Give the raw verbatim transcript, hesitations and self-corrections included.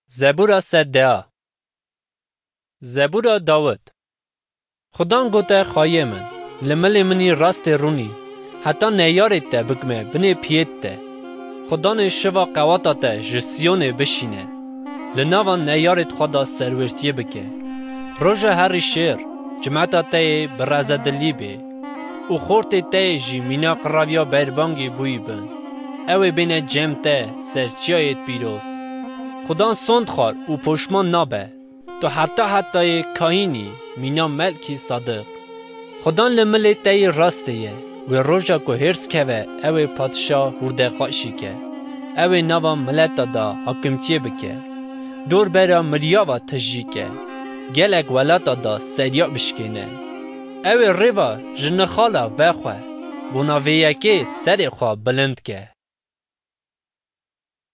Zebûra sed deh. Zebûra Dawid. Xudan gote xwayê min, li milê min î rastê rûnî, heta neyarê te bikime binê piyêt te. Xudanê şiva qewata te ji Siyonê bişîne, li nava neyarêt xwe de serwêrtiyê bike. Roja herî şêr, cimeta te yê bi rezedilî bê û xortê te yê jî mîna qiraviya berbangê bûyî bin. Ew ê bêne cem te ser çiyayêt pîroz. Xudan sond xwar û poşman nabe. Tu heta hetayê kahînî mîna Melkî Sadiq. Xudan li milê te yê rastê ye. Wê roja ku hêrs keve, ew ê padşa hûrdexweşî ke. Ew ê nava mileta da hakimtiyê bike. Dor bera mirya va tijî ke. Gelek welata da seriya bişkêne. Ew ê rêva ji nixala vexwe. Bona vê yekê serê xwe bilind ke.